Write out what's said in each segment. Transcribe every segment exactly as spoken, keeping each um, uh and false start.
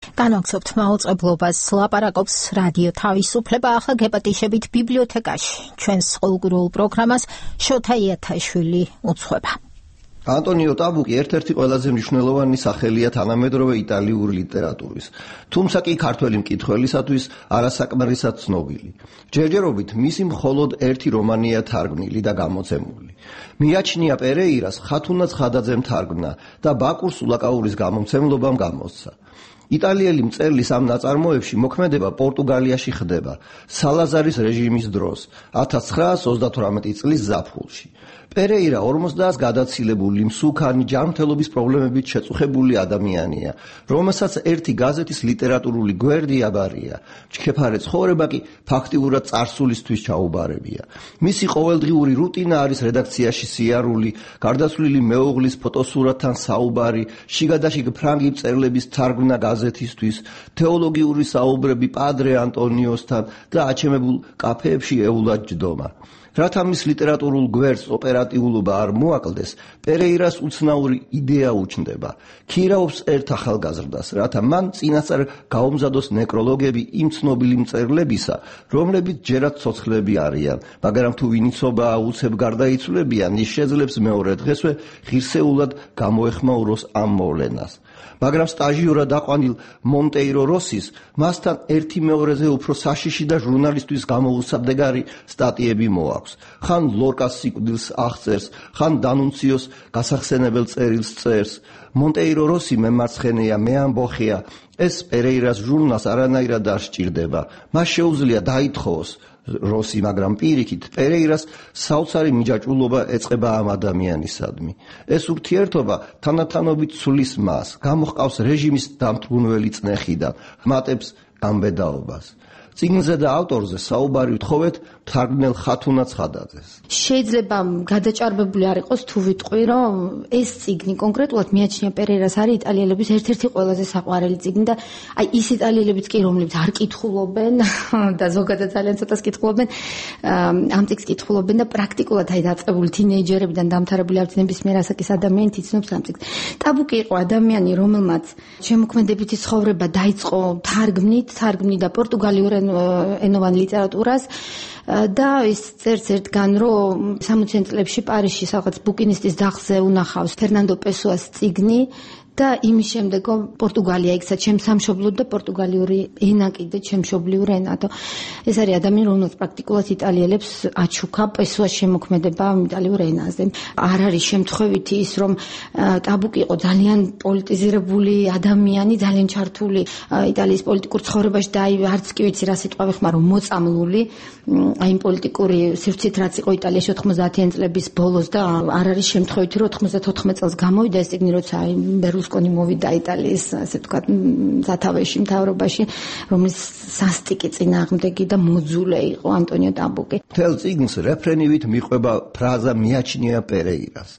განვაგრძობთ მაუწყებლობას ლაპარაკობს რადიო თავისუფლება ახლა გეპატიშებით ბიბლიოთეკაში. ჩვენს ყოველკვირეულ პროგრამას შოთა იათაშვილი უძღვება. ანტონიო ტაბუკი ერთ-ერთი ყველაზე მნიშვნელოვანი სახელია თანამედროვე იტალიური ლიტერატურის, თუმცა კი ქართველი მკითხველისათვის არასაკმარისად ცნობილი. ჯერჯერობით მისი მხოლოდ ერთი რომანია თარგმნილი და გამოცემული. მიაჩნია პერეირას ხათუნა ცხადაძემ თარგმნა და ბაკურ სულაკაურის გამომცემლობამ გამოსცა. იტალიელი მწერლის ამ ნაწარმოებში მოქმედება პორტუგალიაში ხდება სალაზარის რეჟიმის დროს ათას ცხრაას ოცდათვრამეტი წლის ზაფხულში. პერეირა ორმოცდაას გადაცილებული მსუქანი ჯანმრთელობის პრობლემებით შეწუხებული ადამიანია, რომელსაც ერთი გაზეთის ლიტერატურული გვერდი აბარია. ჩქეფარე ცხოვრება კი ფაქტიურად წარსულისთვის ჩაუბარებია. მისი ყოველდღიური რუტინა არის რედაქციაში სიარული, გარდაცვლილი მეუღლის ფოტოსურათთან საუბარი, შიგადაშიგ ფრანგი მწერლების თარგმნა გაზეთისთვის, თეოლოგიური საუბრები პადრე ანტონიოსთან და აჩემებულ კაფეებში ეულად ჯდომა. რათა მის ლიტერატურულ გვერდს ოპერატიულობა არ მოაკლდეს, პერეირას უცნაური იდეა უჩნდება. ქირაობს ერთ ახალგაზრდას, რათა მან წინასწარ გაუმზადოს ნეკროლოგები იმ ცნობილი მწერლებისა, რომლებიც ჯერაც ცოცხლები არიან, მაგრამ თუ ვინიცობაა უცებ გარდაიცვლებიან, ის შეძლებს მეორე დღესვე ღირსეულად გამოეხმაუროს ამ მოვლენას. მაგრამ სტაჟიორად აყვანილ მონტეირო როსის მასთან ერთი მეორეზე უფრო საშიში და ჟურნალისტვის გამოუსაბდეგარი სტატიები მოაქვს. ხან ლორკას სიკვდილს აღწერს, ხან დანუნციოს გასახსენებელ წერილს წერს. მონტეირო როსი მემარცხენეა, მე ამბოხია, ეს პერეირას ჟურნალს არანაირად არ სჭირდება. მას შეუძლია დაითხოვოს როსი, მაგრამ პირიქით პერეირას საოცარი მიჯაჭვულობა ეწყება ამ ადამიანისადმი. ეს ურთიერთობა თანდათანობით ცვლის მას, გამოჰყავს რეჟიმის დამთრგუნველი წნეხიდან, ხმატებს გამბედაობას. წიგნზე და ავტორზე საუბარი ვთხოვეთ თარგმნელ ხათუნა ცხადაძეს. შეიძლება გადაჭარბებული არ იყოს თუ ვიტყვი, რომ ეს წიგნი კონკრეტულად მიაჩნია პერეირას არის იტალიელების ერთ-ერთი ყველაზე საყვარელი წიგნი და აი ის იტალიელებიც კი რომლებიც არ კითხულობენ და ზოგადად ძალიან ცოტას კითხულობენ, ამ წიგნს კითხულობენ და პრაქტიკულად აი დაწყებული თინეიჯერებიდან დამთავრებული არც ნებისმიერ ასაკის ადამიანი თიცნობს ამ წიგნს. ტაბუკი იყო ადამიანი, რომელმაც შემოქმედებითი ცხოვრება დაიწყო თარგმნით, თარგმნიდა პორტუგალიურ ენოვან ლიტერატურას და ის წერს ერთგან, რომ სამოციან წლებში პარიზში რაღაც ბუკინისტის დახზე უნახავს ფერნანდო პესოას წიგნი და იმის შემდეგ პორტუგალია იქცა ჩემს სამშობლოდ და პორტუგალიური ენა კიდე ჩემშობლიურ ენად. ეს არის ადამიანი, რომელსაც პრაქტიკულად იტალიელებს აჩუქა პესოას შემოქმედება იტალიურ ენაზე. არ არის შემთხვევითი ის, რომ ტაბუკი იყო ძალიან პოლიტიზირებული ადამიანი, ძალიან ჩართული იტალიის პოლიტიკურ ცხოვრებაში და აი არც კი ვიცი რა სიტყვა ვიხმარო, მოწამლული აი პოლიტიკური სივრცით რაც იყო იტალიაში ოთხმოცდაათიან წლების ბოლოს და არ არის შემთხვევითი, რომ ოცდათოთხმეტ წელს გამოვიდა ეს წიგნი, როცა აი ბერლუსკონი მოვიდა იტალიის, ასე ვთქვათ, სათავეში, მთავრობაში, რომლის სასტიკი წინააღმდეგი და მოძულე იყო ანტონიო ტაბუკი. მთელ წიგნს რეფრენივით მიყვება ფრაზა მიაჩნია პერეირას.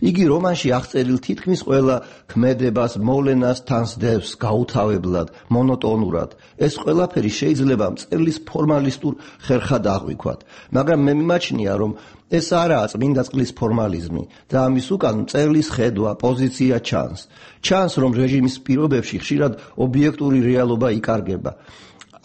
იგი რომანში აღწერილ თითქმის ყველა ქმედებას, მოვლენას თანსდევს გაუთავებლად, მონოტონურად. ეს ყველაფერი შეიძლება მწერლის ფორმალისტურ ხერხად აღვიქვათ, მაგრამ მე მიმაჩნია, რომ ეს არაა წმინდა წყლის ფორმალიზმი და ამის უკან მწერლის ხედვა, პოზიცია ჩანს. ჩანს, რომ რეჟიმის პირობებში ხშირად ობიექტური რეალობა იკარგება.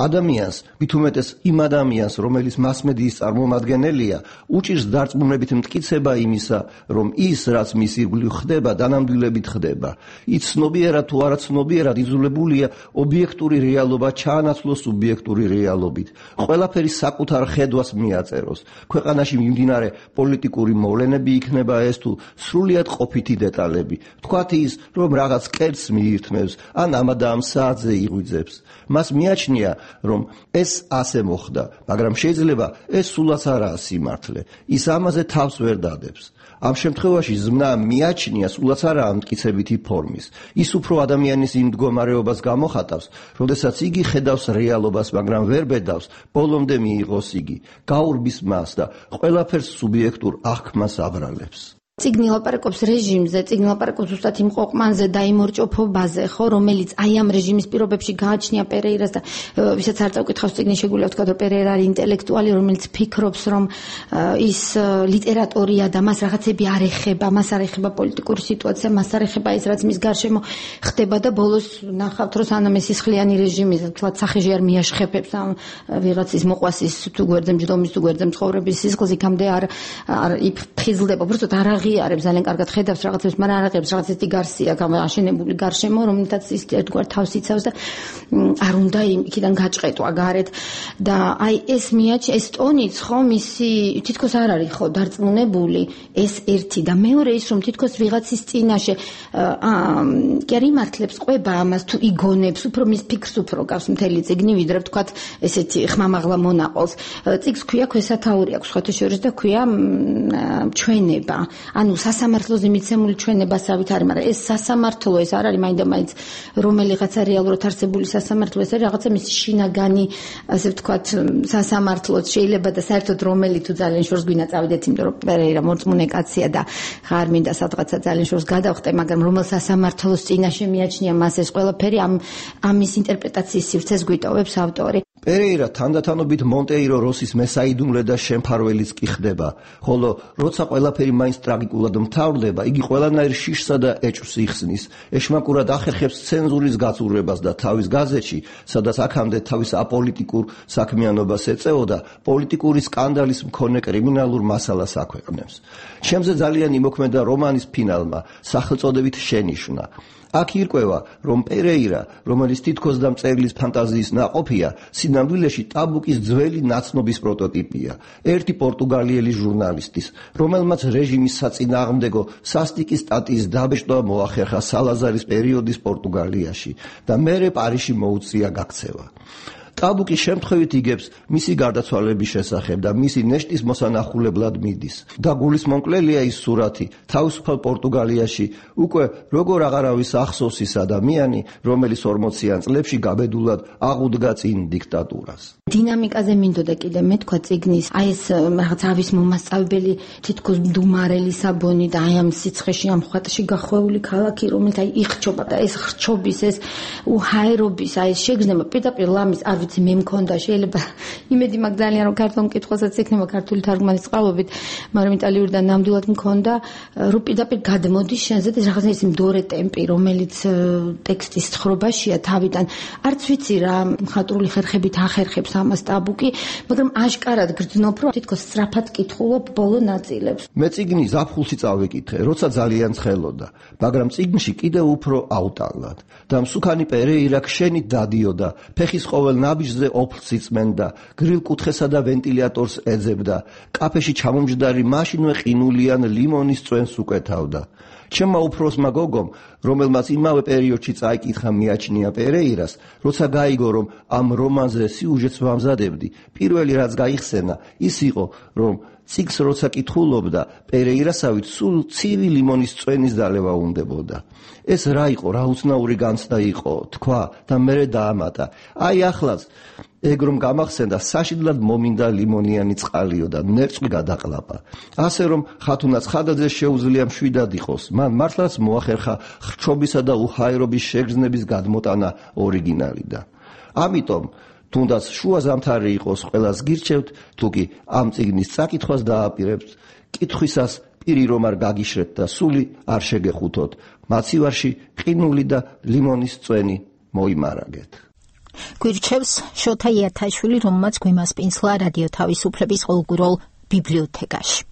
ადამიანს, მით უმეტეს იმ ადამიანს, რომელიც მასმედიის წარმომადგენელია, უჭირს დარწმუნებით მტკიცება იმისა, რომ ის, რაც მის ირგვლივ ხდება, დანამდვილებით ხდება. ის ცნობიერად თუ არა ცნობიერად იძულებულია ობიექტური რეალობა ჩაანაცვლოს სუბიექტური რეალობით. ყველაფერი საკუთარ ხედვას მიაწეროს. ქვეყანაში მიმდინარე პოლიტიკური მოვლენები იქნება ეს თუ სრულიად ყოფითი დეტალები. თქვათ ის, რომ რაღაც კერძს მიირთმევს, ან ამ და ამ საათზე იღვიძებს. მას მიაჩნია, რომ ეს ასე მოხდა, მაგრამ შეიძლება ეს სულაც არაა სიმართლე. ის ამაზე თავს ვერ დადებს. ამ შემთხვევაში ზმნა მიაჩნია სულაც არაა მტკიცებითი ფორმის. ის უფრო ადამიანის იმ მდგომარეობას გამოხატავს, როდესაც იგი ხედავს რეალობას, მაგრამ ვერ ბედავს, ბოლომდე მიიღოს იგი, გაურბის მას და ყველაფერს სუბიექტურ აღქმას აბრალებს. წიგნი ლაპარაკობს რეჟიმზე, წიგნი ლაპარაკობს ზუსტად იმ ყოყმანზე და იმ ორჭოფობაზე, ხო, რომელიც აი ამ რეჟიმის პირობებში გააჩნია პერეირას და ვისაც არ წავკითხავს წიგნი შეგვიძლია ვთქვა, რომ პერეირა არის ინტელექტუალი, რომელიც ფიქრობს, რომ ის ლიტერატორია და მას რაღაცები არ ეხება, მას არ ეხება პოლიტიკური სიტუაცია, მას არ ეხება ის, რაც მის გარშემო ხდება და ბოლოს ნახავთ, რომ სანამ ეს სისხლიანი რეჟიმი, თლაც სახეში არ მიაშხებებს ამ ვიღაცის მოყვასის თუ გვერდზე მჯდომის თუ გვერდზე მცხოვრების სისხლს, იქამდე არ არ იფხიზლდება, უბრალოდ არ აღიარებს, ძალიან კარგად ხედავს რაღაცებს, მაგრამ არ აღიარებს რაღაც ისეთი გარსი აქვს აშენებული გარშემო, რომლითაც ის ერთგვარ თავს იცავს და არ უნდა იქიდან გაჭყეტვა გარეთ და აი ეს მიაჩნია, ეს ტონიც ხო მისი თითქოს არ არის ხო დარწმუნებული, ეს ერთი და მეორე ის რომ თითქოს ვიღაცის წინაშე კი არ იმართლებს ყვება ამას თუ იგონებს, უფრო მის ფიქრს უფრო გავს მთელი წიგნი, ვიდრე ვთქვათ ესეთი ხმამაღლა მონაყოლს. წიგნს ქვია ქვესათაური აქვს სხვათა შორის და ქვია ჩვენება. ანუ სასამართლოზე მიცემული ჩვენებასავით არის, მაგრამ ეს სასამართლო ეს არ არის მაინდა-მაინც რომელიღაცა რეალურად არსებული სასამართლო, ეს არის რაღაცა მისი შინაგანი, ასე ვთქვათ, სასამართლოც შეიძლება და საერთოდ რომელი თუ ძალიან შორს გვინა წავიდეთ, იმიტომ რომ პერეირა მორწმუნე კაცია და ხარ მინდა სადღაცა ძალიან შორს გადავხტე, მაგრამ რომელ სასამართლოს წინაშე მიაჩნია მას ეს ყველაფერი, ამ ამის ინტერპრეტაციის სივრცეს გვიტოვებს ავტორი. პერეირა თანდათანობით მონტეირო როსის მესაიდუმლე და შემფარველიც კი ხდება, ხოლო როცა ყველაფერი მაინც ტრაგიკულად მთავრდება, იგი ყველანაირ შიშსა და ეჭვს იხსნის, ეშმაკურად ახერხებს ცენზურის გაწურებას და თავის გაზეთში, სადაც აქამდე თავის აპოლიტიკურ საქმიანობას ეწეოდა, პოლიტიკური სკანდალის მქონე კრიმინალურ მასალას აქვეყნებს. ჩემზე ძალიან იმოქმედა რომანის ფინალმა, სახელწოდებით შენიშვნა. აქ ირკვევა, რომ პერეირა, რომელიც თითქოს და მწერლის ფანტაზიის ნაყოფია, სინამდვილეში ტაბუკის ძველი ნაცნობის პროტოტიპია. ერთი პორტუგალიელი ჟურნალისტის, რომელმაც რეჟიმის საწინააღმდეგო სასტიკი სტატიის დაბეჭდვა მოახერხა სალაზარის პერიოდის პორტუგალიაში და მერე პარიზში მოუწია გაქცევა. ტაბუკი შემთხვევით იგებს მისი გარდაცვალების შესახებ და მისი ნეშტის მოსანახულებლად მიდის. და გულისმომკლელია ის სურათი თავისუფალ პორტუგალიაში უკვე როგორ აღარავის ახსოვს ის ადამიანი, რომელიც ორმოციან წლებში გაბედულად აღუდგა წინ დიქტატურას. დინამიკაზე მინდოდა კიდე მეთქვა წიგნის, აი ეს რაღაც ავის მომასწავლებელი თითქოს მდუმარე ლისაბონი და აი ამ სიცხეში ამ ხვატში გახვეული ქალაქი, რომელიც აი იხჩობა და ეს ხრჩობის, ეს უჰაერობის, აი ეს შეგრძნება პირდაპირ ლამის არ ვიცი მე მქონდა, შეიძლება იმედი მაქვს ძალიან რომ ქართულ მკითხველსაც იქნება ქართული თარგმანის წყალობით, მაგრამ იტალიურიდან ნამდვილად მქონდა, რომ პირდაპირ გადმოდის შენზე და რაღაცა ის მდორე ტემპი, რომელიც ტექსტის თხრობაშია თავიდან, არც ვიცი რა მხატვრული ხერხებით ახერხებს ამას ტაბუკი, მაგრამ აშკარად გრძნობ, რომ თითქოს სწრაფად კითხულობ ბოლო ნაწილებს. მე წიგნი ზაფხულში წავიკითხე, როცა ძალიან ცხელოდა, მაგრამ წიგნში კიდევ უფრო აუტალად და მსუქანი პერეირა ქშენით დადიოდა, ფეხის ყოველ ნაბიჯზე ოფლს იწმენდა, გრილ კუთხესა და ვენტილატორს ეძებდა, კაფეში ჩამომჯდარი მაშინვე ყინულიან ლიმონის წვენს უკეთავდა. ჩემმა უფროსმა გოგომ, რომელმაც იმავე პერიოდში წაიკითხა მიაჩნია პერეირას, როცა გაიგო, რომ ამ რომანზე სიუჟეტს ვამზადებდი, პირველი რაც გაიხსენა, ის იყო, რომ წიგნს როცა კითხულობდა, პერეირასავით სულ ცივი ლიმონის წვენის დალევა უნდებოდა. ეს რა იყო, რა უცნაური განცდა იყო, თქვა და მერე დაამატა. აი ახლაც ეგ რომ გამახსენდა, საშინლად მომინდა ლიმონიანი წყალიო და ნერწყვი გადაყლაპა. ასე რომ ხათუნა ცხადაძე შეუძლია მშვიდად იყოს, მან მართლაც მოახერხა ხრჩობისა და უჰაერობის შეგრძნების გადმოტანა ორიგინალიდან. ამიტომ თუნდაც შუა ზამთარი იყოს, ყველას გირჩევთ, თუ კი ამ წიგნის წაკითხვას დააპირებთ, კითხვისას პირი რომ არ გაგიშრეთ და სული არ შეგეხუთოთ, მაცივარში ყინული და ლიმონის წვენი მოიმარაგეთ. გვირჩევს შოთა იათაშვილი, რომელმაც გვიმასპინძლა რადიო თავისუფლების ყოველკვირეულ ბიბლიოთეკაში.